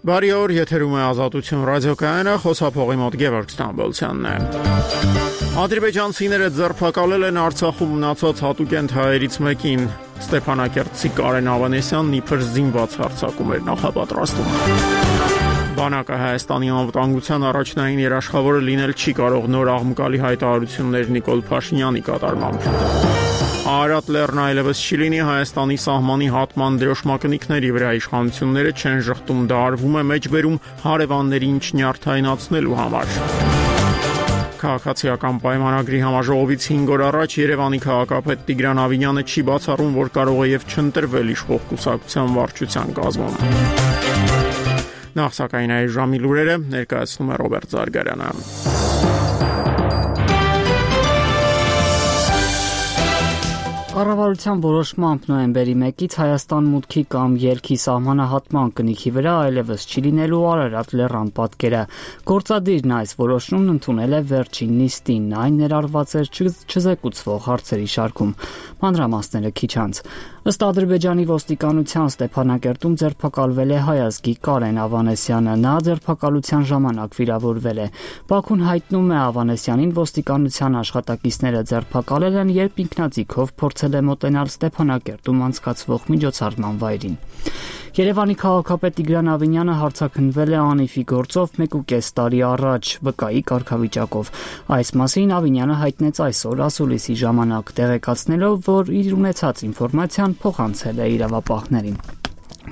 Բարի օր, եթերում է Ազատություն ռադիոկայանը, խոսափողի մոտ Գևորգ Ստամբոլցյանն է։ Ադրբեջանցիները ձերբակալել են Արցախում մնացած հատուկենտ հայերից մեկին։ Ստեփանակերտցի Կարեն Ավանեսյանն իբր զինված հարձակում էր նախապատրաստում։ Բանակը Հայաստանի անվտանգության առաջնային երաշխավորը լինել չի կարող նոր աղմկալի հայտարարություններ Նիկոլ Փաշինյանի կատարմամբ։ Արարատ լեռն այլևս չի լինի, Հայաստանի սահմանի հատման դրոշմակնիկների վրա իշխանությունները չեն ժխտում, դա արվում է մեջբերում հարևաններին չնյարդայնացնելու համար։ Քաղաքացիական պայմանագրի համաժողովից 5 օր առաջ Երևանի քաղաքապետ Տիգրան Ավինյանը չի բացառում, որ կարող է եւ չընտրվել իշխող կուսակցության վարչության կազմում։ Նախ սակայն այս ժամի լուրերը ներկայացնում է Ռոբերտ Զարգարյանը։ Կառավարության որոշմամբ նոյեմբերի 1-ից Հայաստան մուտքի կամ ելքի սահմանահատման կնիքի վրա այլևս չի լինելու Արարատ լեռան պատկերը։ Գործադիրն այս որոշումն ընդունել է վերջին նիստին, այն ներառված էր չզեկուցվող հարցերի շարքում։ Մանրամասները քիչ անց։ Ըստ Ադրբեջանի ոստիկանության Ստեփանակերտում ձերբակալվել է հայազգի Կարեն Ավանեսյանը, նա ձերբակալության ժամանակ վիրավորվել է։ Բաքուն հայտնում է Ավանեսյանին ոստիկանության աշխատակիցները ձերբակալել են, երբ ինքնաձիգով փորձել է մոտենալ Ստեփանակերտում անցկացվող միջոցառման վայրին։ Երևանի քաղաքապետ Տիգրան Ավինյանը հարձակնվել է անիվի գործով 1.5 տարի առաջ վկայի կարգավիճակով։ Այս մասին Ավինյանը հայտնեց այսօր ասուլիսի ժամանակ, տեղեկացնելով, որ իր ունեցած ինֆորմացիան փոխանցել է իրավապահներին։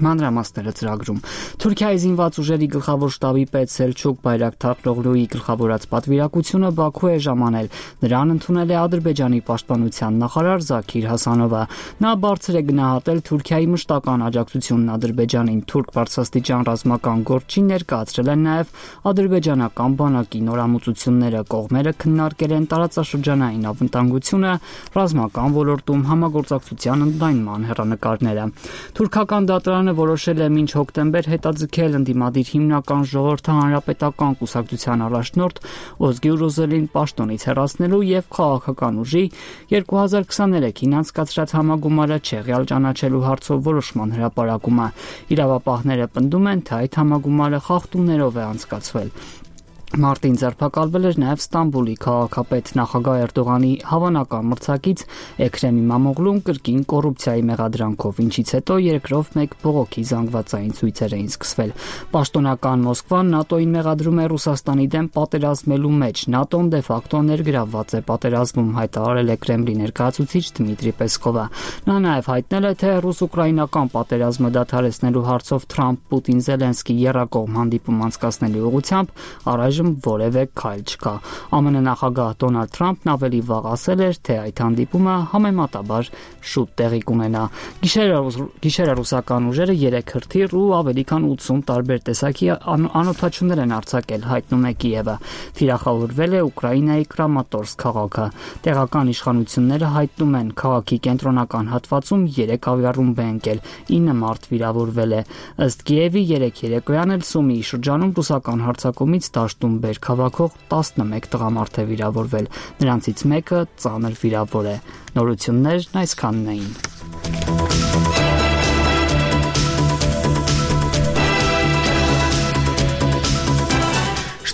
Մանրամասները ծրագրում։ Թուրքիայի զինված ուժերի գլխավոր շտաբի պետ Սելչուկ Բայրակթարօղլուի գլխավորած պատվիրակությունը Բաքու է ժամանել։ Նրան ընդունել է Ադրբեջանի պաշտպանության նախարար Զաքիր Հասանովը։ Նա բարձր է գնահատել Թուրքիայի մշտական աջակցությունն Ադրբեջանին։ Թուրք բարձրաստիճան ռազմական գործչին ներկայացրել են նաև ադրբեջանական բանակի նորամուծությունները։ Կողմերը քննարկել են տարածաշրջանային անվտանգությունը, ռազմական ոլորտում համագործակցության ընդլայնման հեռանկարները։ Թուրքական դատարանը որոշել է մինչ հոկտեմբեր հետաձգել ընդդիմադիր հիմնական ժողովրդի հանրապետական կուսակցության առաջնորդ Օզգյուր Օզելին պաշտոնից հեռացնելու եւ քաղաքական ուժի 2023-ին անցկացրած համագումարը չեղյալ ճանաչելու հարցով որոշման հրապարակումը։ Իրավապահները պնդում են, թե այդ համագումարը խախտումներով է անցկացվել։ Մարտին ձերբակալվել էր նաև Ստամբուլի քաղաքապետ նախագահ Էրդողանի հավանական մրցակից Էքրեմ Իմամօղլուն կրկին կոռուպցիայի մեղադրանքով, ինչից հետո երկրով մեկ բողոքի զանգվածային ցույցեր էին սկսվել։ Պաշտոնական Մոսկվան ՆԱՏՕ-ին մեղադրում է Ռուսաստանի դեմ պատերազմելու մեջ։ ՆԱՏՕ-ն դե ֆակտո ներգրավված է պատերազմում, հայտարարել է Կրեմլի ներկայացուցիչ Դմիտրի Պեսկովը։ Նա նաև հայտնել է, թե ռուս-ուկրաինական պատերազմը դադարեցնելու հարցով Թրամփ-Պուտին-Զելենսկի եռակողմ հանդիպում անցկացնելու ուղղությամբ առայժմ որևէ քայլ չկա։ ԱՄՆ նախագահ Դոնալդ Թրամփն ավելի վաղ ասել էր, թե այդ հանդիպումը համեմատաբար շուտ տեղի կունենա։ Գիշերը ռուսական ուժերը 3 հրթիռ ու ավելի քան 80 տարբեր տեսակի անօդաչուներ են արձակել, հայտնում է Կիևը։ Թիրախավորվել է Ուկրաինայի Կրամատորսկ քաղաքը։ Տեղական իշխանությունները հայտնում են, քաղաքի կենտրոնական հատվածում 3 ավիառումբ է ընկել, 9 մարդ վիրավորվել է։ Ըստ Կիևի 3 երեկոյան էլ Սումիի շրջանում ռուսական հարձակումից դաշտում բերք հավաքող 11 տղամարդ է վիրավորվել, նրանցից մեկը ծանր վիրավոր է։ Նորություններն այսքանն էին։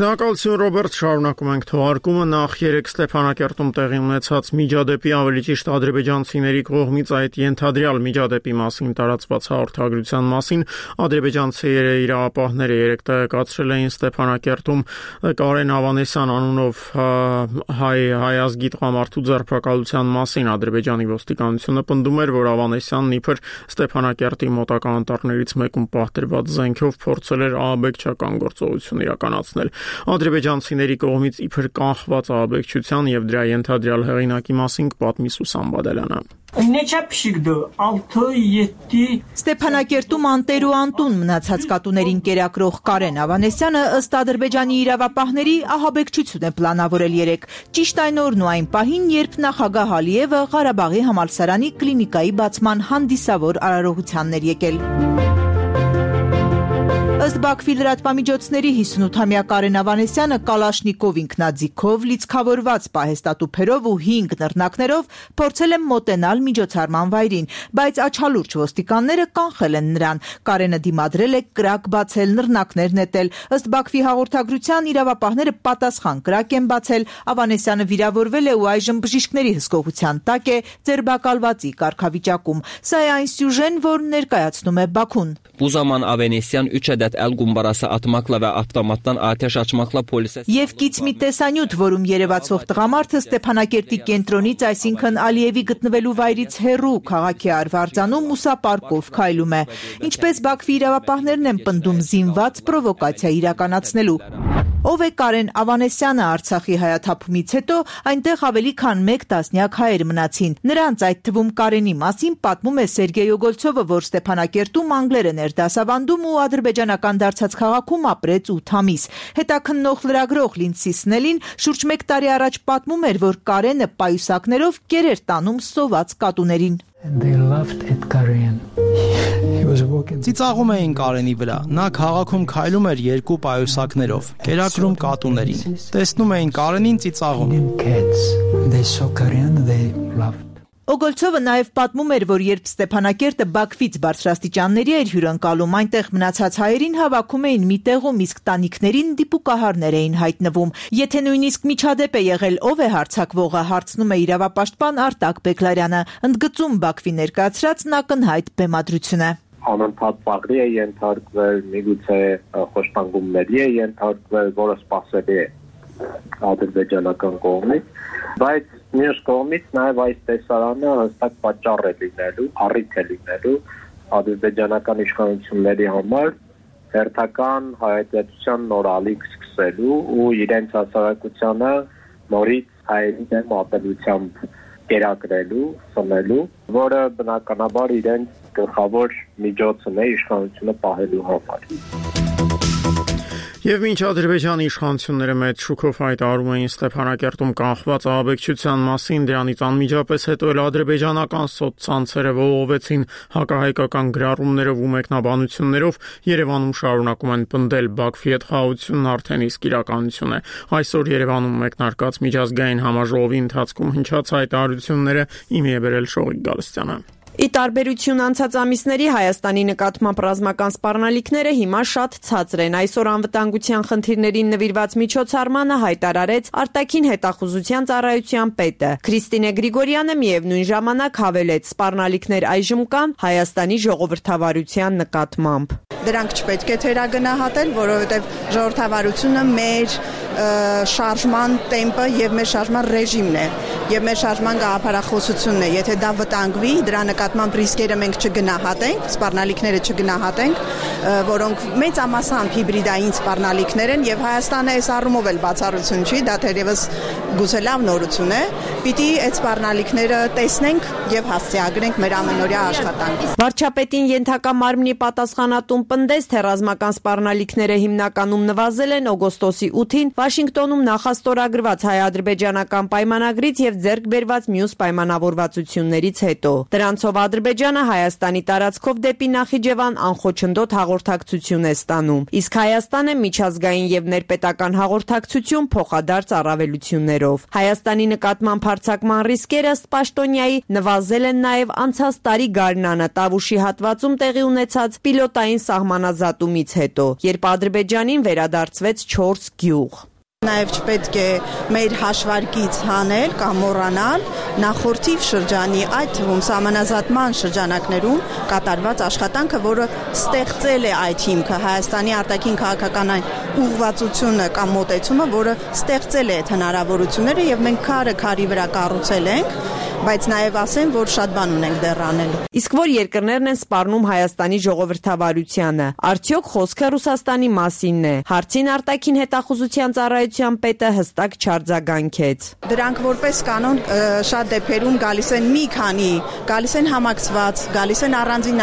Շնորհակալություն Ռոբերտ, շարունակում ենք թողարկումը։ Նախ 3 Ստեփանակերտում տեղի ունեցած միջադեպի, ավելի ճիշտ ադրբեջանցիների կողմից այդ ենթադրյալ միջադեպի մասին տարածված հաղորդագրության մասին ադրբեջանցի իրավապահները 3 տեղեկացրել էին Ստեփանակերտում Կարեն Ավանեսյան անունով հայազգի տղամարդու ձերբակալության մասին։ Ադրբեջանի ոստիկանությունը պնդում էր, որ Ավանեսյանն իբր Ստեփանակերտի մոտակա անտառներից մեկում պահտրված զենքով փորձել էր ահաբեկչական գործողություն իրականացնել։ Ադրբեջանցիների կողմից իբր կանխված ահաբեկչության եւ դրա ենթադրյալ հեղինակի մասին կպատմի Սուսան Բադալյանը։ Ստեփանակերտում անտեր ու անտուն մնացած կատուներին կերակրող Կարեն Ավանեսյանը ըստ ադրբեջանի իրավապահների ահաբեկչություն է պլանավորել 3, ճիշտ այն օրն ու այն պահին, երբ նախագահ Ալիևը Ղարաբաղի համալսարանի կլինիկայի բացման հանդիսավոր արարողությանն էր եկել։ Ըստ Բաքվի լրատվամիջոցների 58-ամյա Կարեն Ավանեսյանը Կալաշնիկով ինքնաձիգով, լիցքավորված պահեստատուփերով ու 5 նռնակներով փորձել է մոտենալ միջոցառման վայրին, բայց աչալուրջ ոստիկանները կանխել են նրան։ Կարենը դիմադրել է կրակ բացել, նռնակներ նետել։ Ըստ Բաքվի հաղորդագրության իրավապահները պատասխան կրակ են բացել։ Ավանեսյանը վիրավորվել է ու այժմ բժիշկների հսկողության տակ է, ձերբակալվածի կարգավիճակում։ Սա է այն սյուժեն, որ ներկայացնում է Բաքուն։ Բուզաման Ավենեսյան üçedet el gumbarası atmakla ve avtomattan ateş açmakla polise... Եվ կից մի տեսանյութ, որում երևացող տղամարդը Ստեփանակերտի կենտրոնից, այսինքն Ալիևի գտնվելու վայրից հեռու քաղաքի Արվարձանում ուսապարկով քայլում է։ Ինչպես Բաքվի իրավապահներն են պնդում զինված պրովոկացիա իրականացնելու։ Ով է Կարեն Ավանեսյանը Արցախի հայաթափումից հետո այնտեղ ավելի քան 1 տասնյակ հայեր մնացին։ Նրանց, այդ թվում Կարենի մասին, պատմում է Սերգեյ Օգոլցովը, որ Ստեփանակերտում անգլերեն էր դասավանդում ու ադրբեջանական դարձած քաղաքում ապրեց 8 ամիս։ Հետաքննող լրագրող Լինդսի Սնելին շուրջ 1 տարի առաջ պատմում էր, որ Կարենը պայուսակներով կեր էր տանում սոված կատուներին։ Ծիծաղում էին Կարենի վրա։ Նա քաղաքում քայլում էր 2 պայուսակներով, կերակրում կատուներին։ Տեսնում էին Կարենին ծիծաղում։ Օգոլցովը նաև պատմում էր, որ երբ Ստեփանակերտը Բաքվից բարձրաստիճանների էր հյուրընկալում, այնտեղ մնացած հայերին հավաքում էին մի տեղում, իսկ տանիքներին դիպուկահարներ էին հայտնվում։ Եթե նույնիսկ միջադեպ է եղել, ով է հարձակվողը, հարցնում է իրավապաշտպան Արտակ Բեկլարյանը, ընդգծում Բաքվի ներկայացրած ակնհայտ բեմադրություն է։ Անընդհատ ծաղրի է ենթարկվել, միգուցե խոշտանգումների է ենթարկվել, որը սպասելի է ադրբեջանական կողմից, բայց մյուս կողմից նաև այս տեսարանը հստակ պատճառ է լինելու, առիթ է լինելու ադրբեջանական իշխանությունների համար հերթական հայատյացության նոր ալիք սկսելու ու իրենց հասարակությանը նորից հայերի դեմ ատելությամբ կերակրելու, սնելու, որը բնականաբար իրենց գլխավոր միջոցն է իշխանությունը պահելու համար։ Եվ մինչ Ադրբեջանի իշխանությունները մեծ շուկով հայտարարում էին Ստեփանակերտում կանխված ահաբեկչության մասին, դրանից անմիջապես հետո էլ ադրբեջանական սոցցանցերը ողողվեցին հակահայկական գրառումներով ու մեկնաբանություններով, Երևանում շարունակում են պնդել Բաքվի հետ խաղաղությունն արդեն իսկ իրականություն է։ Այսօր Երևանում մեկնարկած միջազգային համաժողովի ընթացքում հնչած հայտարարությունները իմի է բերել Շողիկ Գալստյանը։ Ի տարբերություն անցած ամիսների Հայաստանի նկատմամբ ռազմական սպառնալիքները հիմա շատ ցածր են։ Այսօր անվտանգության խնդիրներին նվիրված միջոցառմանը հայտարարեց արտաքին հետախուզության ծառայության պետը։ Քրիստինե Գրիգորյանը միևնույն ժամանակ հավելեց, սպառնալիքներ այժմ կան Հայաստանի ժողովրդավարության նկատմամբ։ Դրանք չպետք է թերագնահատել, որովհետև ժողովրդավարությունը մեր շարժման տեմպը եւ մեր շարժման ռեժիմն է եւ մեր շարժման գաղափարախոսությունն է։ Եթե դա վտանգվի, դրա նկատմամբ ռիսկերը մենք չգնահատենք, սպառնալիքները չգնահատենք, որոնք մեծամասամբ հիբրիդային սպառնալիքներ են եւ Հայաստանը այս առումով էլ բացառություն չի, դա թերևս գուցե լավ նորություն է։ Պիտի այդ սպառնալիքները տեսնենք եւ հասցեագրենք մեր ամենօրյա աշխատանքին։ Վարչապետին ենթակա մարմնի պատասխանատուն պնդեց, թե ռազմական սպառնալիքները հիմնականում նվազել են օգոստոսի 8-ին Վաշինգտոնում նախաստորագրված հայ-ադրբեջանական պայմանագրից եւ ձեռք բերված մյուս պայմանավորվածություններից հետո։ Դրանցով Ադրբեջանը Հայաստանի տարածքով դեպի Նախիջևան անխոչնդոտ հաղորդակցություն է ստանում, իսկ Հայաստանը միջազգային եւ ներպետական հաղորդակցություն փոխադարձ առավելություններով։ Հայաստանի նկատմամբ հարձակման ռիսկերը ըստ Պաշտոնյայի նվազել են նաեւ անցած տարի գարնանը Տավուշի հատվածում տեղի ունեցած պիլոտային սահմանազատումից հետո, երբ Ադրբեջանին վերադարձվեց 4 գյուղ։ Նաև չպետք է մեր հաշվարկից հանել կամ մոռանալ նախորդիվ շրջանի, այդ թվում սահմանազատման շրջանակներում կատարված աշխատանքը, որը ստեղծել է այդ հիմքը, Հայաստանի արտաքին քաղաքական այն ուղղվածությունը կամ մոտեցումը, որը ստեղծել է այդ հնարավորությունները եւ մենք քարը քարի վրա կառուցել ենք, բայց նաև ասեմ, որ շատ բան ունենք դեռ անելու։ Իսկ որ երկրներն են սպառնում Հայաստանի ժողովրդավարությանը, արդյոք խոսքը Ռուսաստանի մասինն է։ Հարցին արտաքին հետախուզության ծառայության պետը հստակ չարձագանքեց։ Դրանք որպես կանոն շատ դեպքերում գալիս են մի քանի, գալիս են համակցված, գալիս են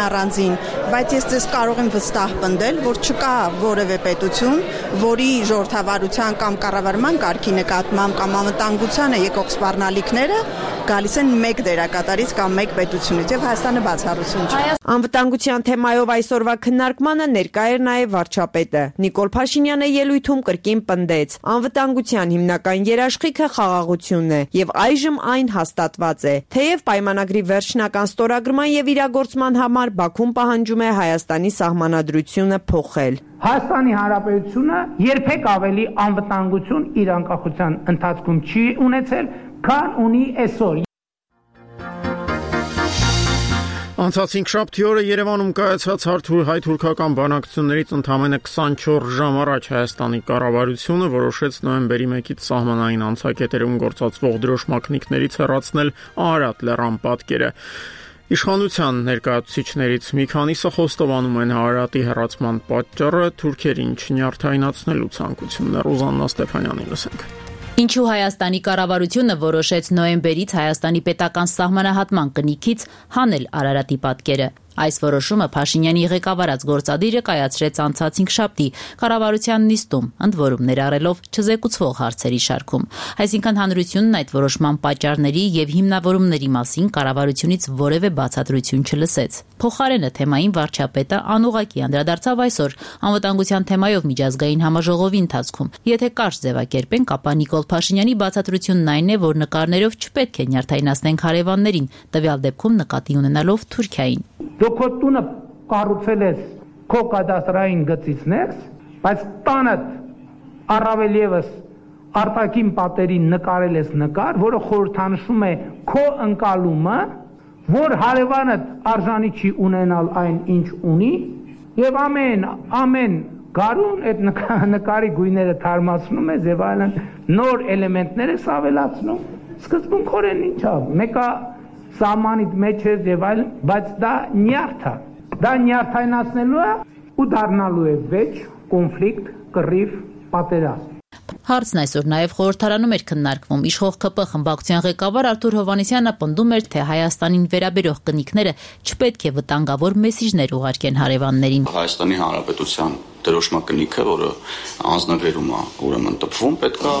առանձին, բայց ես ձեզ կարող եմ վստահ պնդել, որ չկա որևէ պետություն, որի ժողովրդավարության կամ կառավարման կարգի նկատմամբ կամ անվտանգությանը եկող սպառնալիքները գալիս են մեկ դերակատարից կամ մեկ պետությունից եւ Հայաստանը բացառություն չէ։ Անվտանգության թեմայով այսօրվա քննարկմանը ներկա էր նաև վարչապետը։ Նիկոլ Փաշինյանը ելույթում կրկին պնդեց. անվտանգության հիմնական երաշխիքը խաղաղությունն է եւ այժմ այն հաստատված է։ Թեև պայմանագրի վերջնական ստորագրման եւ իրագործման համար Բաքուն պահանջում է Հայաստանի սահմանադրությունը փոխել։ Հայաստանի Հանրապետությունը երբեք ավելի անվտանգություն իր անկախության ընթացքում չի ունեցել, քան ունի այսօր։ Անցած 5 օրը Երևանում կայացած հայ-թուրքական բանակցություններից ընդամենը 24 ժամ առաջ Հայաստանի կառավարությունը որոշեց նոյեմբերի 1-ից սահմանային անցակետերում գործածվող դրոշմակնիկներից հեռացնել Արարատ լեռան պատկերը։ Իշխանության ներկայացուցիչներից մի քանիսը խոստովանում են Արարատի հեռացման պատճառը թուրքերին չնյարդայնացնելու ցանկությունն է։ Ռուզաննա Ստեփանյանին լսենք։ Ինչու Հայաստանի կառավարությունը որոշեց նոյեմբերից Հայաստանի պետական սահմանահատման կնիքից հանել Արարատի պատկերը։ Այս որոշումը Փաշինյանի ղեկավարած գործադիրը կայացրեց անցած 5 կառավարության նիստում, ընդ որում ներառելով չզեկուցվող հարցերի շարքում։ Այսինքն հանրությունն այդ որոշման պատճառների եւ հիմնավորումների մասին կառավարությունից որևէ բացատրություն չլսեց։ Փոխարենը թեմային վարչապետը անուղղակի անդրադարձավ այսօր անվտանգության թեմայով միջազգային համաժողովի ընթացքում։ Եթե կարճ ձևակերպենք, ապա Նիկոլ Փաշինյանի բացատրությունն այն է, որ նկարներով չպետք է նյարդայնացնենք հարևաններին, տվյալ դեպքում նկատի ունենալով Թուրքիային։ Դու քո տունը կառուցել ես քո կադաստրային գծից ներս, բայց տանդ առավել եւս արտաքին պատերին նկարել ես նկար, որը խորհրդանշում է քո ընկալումը, որ հարևանդ արժանի չի ունենալ այն, ինչ ունի, եւ ամեն գարուն այդ նկարի գույները թարմացնում ես եւ այլն նոր էլեմենտներ ես ավելացնում։ Սկզբունքորեն ինչա, մեկը սահմանիդ մեջ է եւ այլն, բայց դա նյարդ է։ Դա նյարդայնացնելու է ու դառնալու է վեճ, կոնֆլիկտ, կռիվ, պատերազմ։ Հարցն այսօր նաև խորհրդարանում էր քննարկվում։ Իշխող ԿՊ խմբակցության ղեկավար Արթուր Հովհաննիսյանը պնդում էր, թե Հայաստանին վերաբերող կնիքները չպետք է վտանգավոր մեսիջներ ուղարկեն հարևաններին։ Հայաստանի Հանրապետության դրոշմակնիքը, որը անձնագրերում է ուրեմն տպվում, պետք է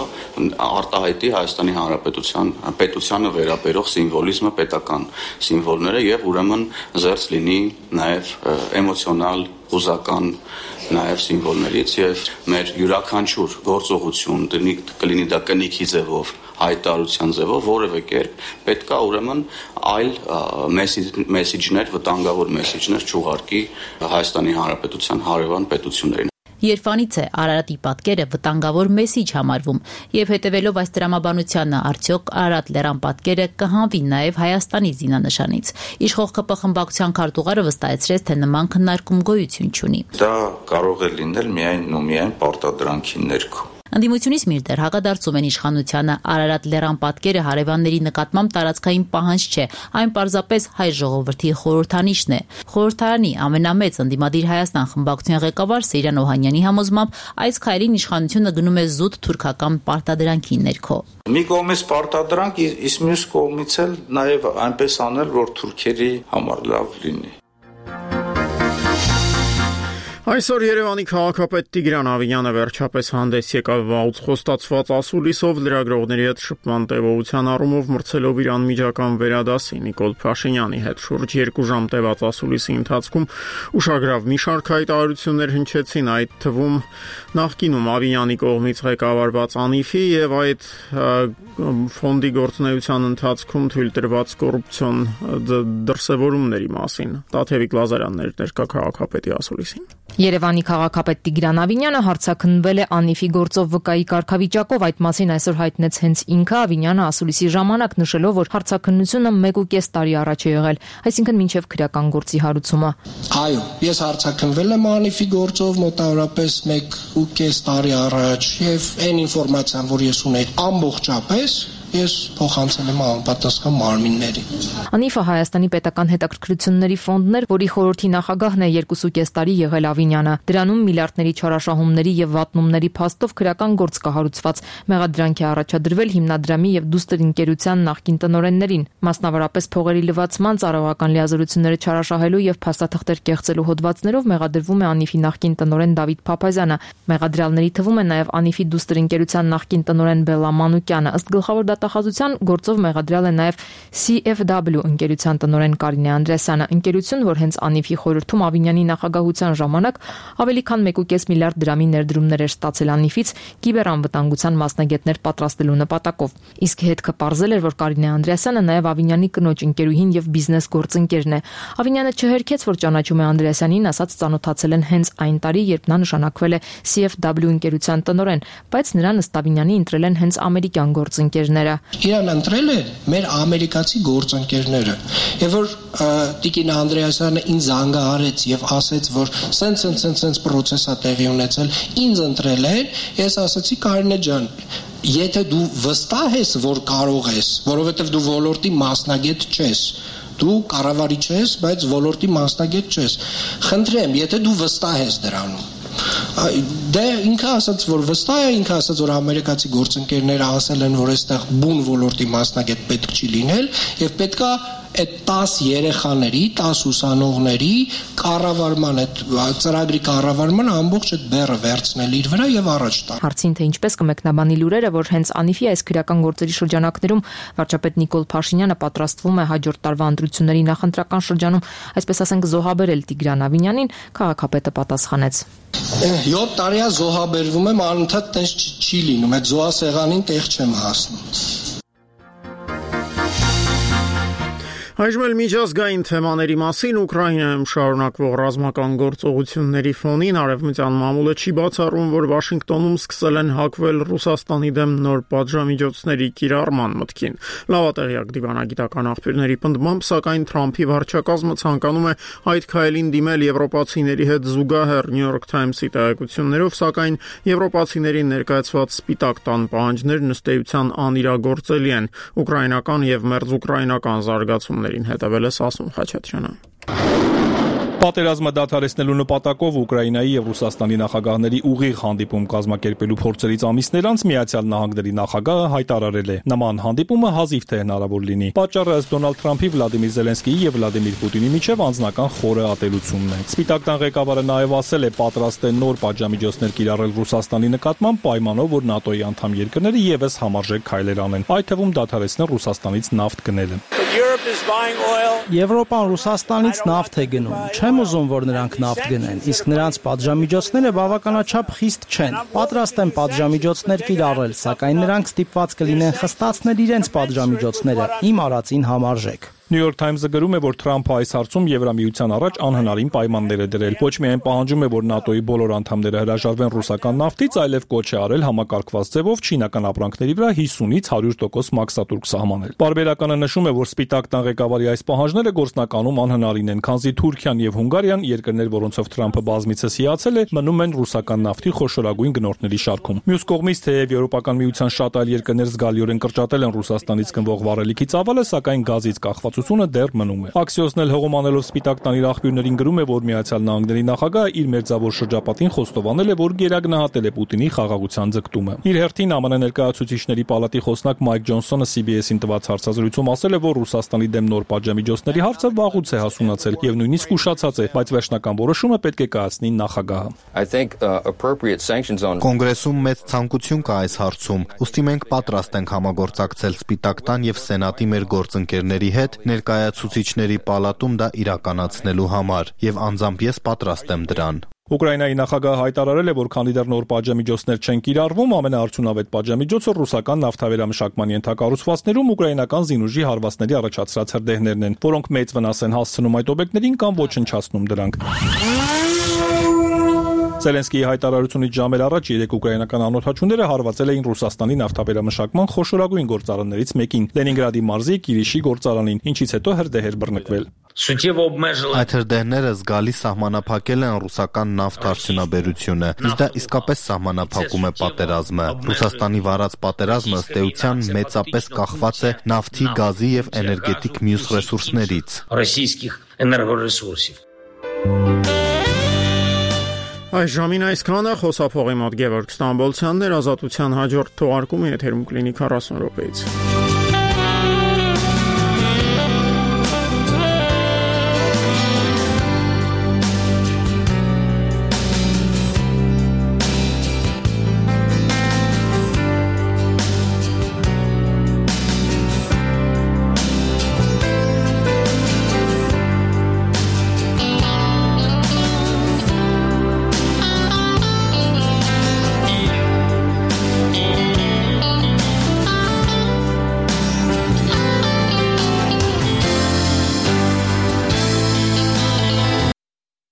արտահայտի Հայաստանի Հանրապետության պետությանը վերաբերող սիմվոլիզմը, պետական սիմվոլները եւ ուրեմն զերծ լինի նաեւ էմոցիոնալ, հուզական նաև սիմվոլներից եւ մեր յուրաքանչյուր գործողություն կլինի դա կնիքի ձևով, հայտարարության ձևով, որևէ կերպ պետք է ուրեմն այլ մեսիջներ, վտանգավոր մեսիջներ չուղարկի Հայաստանի Հանրապետության հարևան պետություններին։ Երբանից է Արարատի պատկերը վտանգավոր մեսիջ համարվում եւ հետեւելով այս դրամաբանությանը արդյոք Արարատ լեռան պատկերը կհանվի նաեւ Հայաստանի զինանշանից։ Իշխող ԿՊ խմբակցության քարտուղարը վստահեցրեց, թե նման քննարկում գոյություն չունի։ Դա կարող է լինել միայն ու միայն պարտադրանքի ներքո։ Ընդդիմությունից մինչդեռ հակադարձում են իշխանությանը Արարատ լեռան պատկերը հարևանների նկատմամբ տարածքային պահանջ չէ, այն պարզապես հայ ժողովրդի խորհրդանիշն է։ Խորհրդարանի ամենամեծ ընդդիմադիր Հայաստան խմբակցության ղեկավար Սեյրան Օհանյանի համոզմամբ այս քայլին իշխանությունը գնում է զուտ թուրքական պարտադրանքի ներքո։ Մի կողմից պարտադրանք, իսկ մյուս կողմից էլ նաև այնպես անել, որ թուրքերի համար լավ լինի։ Այսօր Երևանի քաղաքապետ Տիգրան Ավինյանը վերջապես հանդես եկավ վաղուց խոստացված ասուլիսով լրագրողների հետ շփման տևողության առումով մրցելով իր անմիջական վերադասի Նիկոլ Փաշինյանի հետ շուրջ 2 ժամ տևած ասուլիսի ընթացքում ուշագրավ մի շարք հայտարարություններ հնչեցին, այդ թվում նախկինում Ավինյանի կողմից ղեկավարված ԱՆԻՖ-ի եւ այդ ֆոնդի գործունեության ընթացքում թույլ տրված կոռուպցիոն դրսևորումների մասին։ Տաթևիկ Լազարյանն էր ներկա քաղաքապետի ասուլիսին։ Երևանի քաղաքապետ Տիգրան Ավինյանը հարցաքննվել է ԱՆԻՖ-ի գործով վկայի կարգավիճակով, այդ մասին այսօր հայտնեց հենց ինքը։ Ավինյանը ասուլիսի ժամանակ նշելով, որ հարցաքննությունը 1.5 տարի առաջ է եղել, այսինքն մինչև քրեական գործի հարուցումը։ Այո, ես հարցաքննվել եմ ԱՆԻՖ-ի գործով մոտավորապես 1.5 տարի առաջ եւ այն ինֆորմացիան, որ ես ունեի ամբողջապես ես փոխանցել եմ անպատասխան մարմիններին։ ԱՆԻՖ-ը Հայաստանի պետական հետաքրքրությունների ֆոնդն էր, որի խորհրդի նախագահն է 2.5 տարի եղել Ավինյանը։ Դրանում միլիարդների չարաշահումների եւ վատնումների փաստով քրեական գործ կահարուցված։ Մեղադրանք է առաջադրվել հիմնադրամի եւ դուստր ընկերության նախկին տնօրեններին, մասնավորապես փողերի լվացման, ծառայողական լիազորությունները չարաշահելու եւ փաստաթղթեր կեղծելու հոդվածներով մեղադրվում է ԱՆԻՖ-ի նախկին տնօրեն Դավիթ Փափազյանը։ Մեղադրյալների թվում է նաեւ ԱՆԻՖ-ի դուստր ընկերության նախկին տնօրեն Բելլա Մանուկյանը։ Ըստ գլխավոր դատախազության գործով մեղադրյալ է նաև CFW ընկերության տնօրեն Կարինե Անդրեասյանը, ընկերություն, որ հենց Անիֆի խորհրդում Ավինյանի նախագահության ժամանակ ավելի քան 1.5 միլիարդ դրամի ներդրումներ էր ստացել Անիֆից կիբերանվտանգության մասնագետներ պատրաստելու նպատակով։ Իսկ հետքը պարզել էր, որ Կարինե Անդրեասյանը նաև Ավինյանի կնոջ ընկերուհին եւ բիզնես գործընկերն է։ Ավինյանը չհերքեց, որ ճանաչում է Անդրեասյանին, ասաց ծանոթացել են հենց այն տարի, երբ նա նշանակվել է CFW ընկերության տնօրեն, բայց նրան ըստ Ավինյանի ընտրել են հենց ամերիկյան գործընկերները։ Իրան ընտրել է մեր ամերիկացի գործընկերները։ Եվ որ Տիկին Անդրեասյանը ինձ զանգահարեց եւ ասեց, որ սենց process է տեղի ունեցել, ինձ ընտրել են, ես ասացի Կարինե ջան, եթե դու վստահ ես, որ կարող ես, որովհետեւ դու ոլորտի մասնագետ չես, դու կառավարիչ ես, բայց ոլորտի մասնագետ չես, խնդրեմ, եթե դու վստահ ես դրանում, դե ինքը ասաց, որ վստահ է, ինքը ասաց, որ ամերիկացի գործընկերները ասել են, որ այստեղ բուն ոլորտի մասնագետ պետք չի լինել եւ պետքա այդ 10 երեխաների, 10 ուսանողների կառավարման, այդ ծրագրի կառավարման ամբողջ այդ բեռը վերցնել իր վրա եւ առաջ տալ։ Հարցին թե ինչպես կմեկնաբանի լուրերը, որ հենց Անիֆի այս քրեական գործերի շրջանակներում վարչապետ Նիկոլ Փաշինյանը պատրաստվում է հաջորդ տարվա ընտրությունների նախընտրական շրջանում, այսպես ասենք, զոհաբերել Տիգրան Ավինյանին, քաղաքապետը պատասխանեց. 7 տարի է զոհաբերվում եմ, անընդհատ տես չի լինում, այդ զոհասեղանին տեղ չեմ հասնում։ Այժմ էլ միջազգային թեմաների մասին Ուկրաինայում շարունակվող ռազմական գործողությունների ֆոնին արևմտյան մամուլը չի բացառում, որ Վաշինգտոնում սկսել են հակվել Ռուսաստանի դեմ նոր պատժամիջոցների կիրառման մտքին։ Լավատեղյակ դիվանագիտական աղբյուրների պնդմամբ, սակայն Թրամփի վարչակազմը ցանկանում է այդ քայլին դիմել եվրոպացիների հետ զուգահեռ New York Times-ի տեղեկություններով, սակայն եվրոպացիներին ներկայացված Սպիտակ տան պահանջներն ըստ էության անիրագործելի են։ Ուկրաինական եւ մերձուկրաինական զարգացումներ հետևել է Սասուն Խաչատրյանը։ Պատերազմը դադարեցնելու նպատակով Ուկրաինայի եւ Ռուսաստանի նախագահների ուղիղ հանդիպում կազմակերպելու փորձերից ամիսներ անց Միացյալ Նահանգների նախագահը հայտարարել է. նման հանդիպումը հազիվ թե հնարավոր լինի։ Պատճառը ըստ Դոնալդ Թրամփի Վլադիմիր Զելենսկիի եւ Վլադիմիր Պուտինի միջև անձնական խորը ատելությունն է։ Սպիտակ տան ղեկավարը նաեւ ասել է պատրաստ է նոր պատժամիջոցներ կիրառել Ռուսաստանի նկատմամբ պայմանով, որ ՆԱՏՕ-ի անդամ երկրները եւս համարժեք քայլեր անեն, այդ թվում դադարեցնել Ռուսաստանից նավթ գնելը։ Եվրոպան Ռուսաստանից նավթ է գնում։ Չեմ ուզում, որ նրանք նավթ գնեն, իսկ նրանց պատժամիջոցները բավականաչափ խիստ չեն։ Պատրաստ են պատժամիջոցներ կիրառել, սակայն նրանք ստիպված կլինեն խստացնել իրենց պատժամիջոցները իմ արածին համարժեք։ New York Times-ը գրում է, որ Թրամփը այս հարցում Եվրամիության առաջ անհնարին պայմաններ է դրել։ Ոչ միայն պահանջում է, որ ՆԱՏՕ-ի բոլոր անդամները հրաժարվեն ռուսական նավթից, այլև կոչ է արել համակարգված ձևով չինական ապրանքների վրա 50-ից 100% մաքսատուրք սահմանել։ Պարբերականը նշում է, որ Սպիտակ տան ղեկավարի այս պահանջները գործնականում անհնարին են, քանզի Թուրքիան եւ Հունգարիան, երկրներ, որոնցով Թրամփը բազմիցս հիացել է, մնում են ռուսական նավթի խոշորագույն գնորդների շարքում։ Մյուս կողմից, թեև Եվրոպական միության շատ այլ երկրներ զգալիորեն կրճատել են Ռուսաստանից գնվող վառելիքի ծավալը, սակայն գազից կախված դեռ մնում է։ Axios-ն էլ հողոմանելով Սպիտակ տանի աղբյուրներին գրում է, որ Միացյալ Նահանգների նախագահը իր մերձավոր շրջապատին խոստովանել է, որ գերագնահատել է Պուտինի խաղաղության ձգտումը։ Իր հերթին ԱՄՆ ներկայացուցիչների պալատի խոսնակ Մայք Ջոնսոնը CBS-ին տված հարցազրույցում ասել է, որ Ռուսաստանի դեմ նոր պատժամիջոցների հարցը վաղուց է հասունացել եւ նույնիսկ ուշացած է, բայց վերջնական որոշումը պետք է կայացնի նախագահը։ Կոնգրեսում մեծ ցանկություն կա այս հարցում, ուստի մենք պատրաստ ենք համագործակցել Սպիտակ տան եւ Սենատի մեր գործընկերների հետ ներկայացուցիչների պալատում դա իրականացնելու համար եւ անձամբ ես պատրաստ եմ դրան։ Ուկրաինայի նախագահը հայտարարել է, որ քանի դեռ նոր պատժամիջոցներ չեն կիրառվում, ամենաարդյունավետ պատժամիջոցը ռուսական նավթավերամշակման ենթակառուցվածքներում ուկրաինական զինուժի հարվածների առաջացրած հրդեհներն են, որոնք մեծ վնաս են հասցնում այդ օբյեկտներին կամ ոչնչացնում դրանք։ Զելենսկիի հայտարարությունից ժամեր առաջ 3 ուկրաինական անօթաչուները հարվածել էին Ռուսաստանի նավթավերամշակման խոշորագույն գործարաններից մեկին՝ Լենինգրադի մարզի Կիրիշի գործարանին, ինչից հետո հրդեհ էր բռնկվել։ Այդ հրդեհները զգալի սահմանափակել են ռուսական նավթ արդյունաբերությունը, իսկ դա իսկապես սահմանափակում է պատերազմը։ Ռուսաստանի վարած պատերազմը ըստ էության մեծապես կախված է նավթի, գազի եւ էներգետիկ մյուս ռեսուրսներից։ Այս ժամին այսքանը, խոսափողի մոտ Գևորգ Ստամբոլցյանն էր, Ազատության հաջորդ թողարկումը եթերում կլինի 40 րոպեից։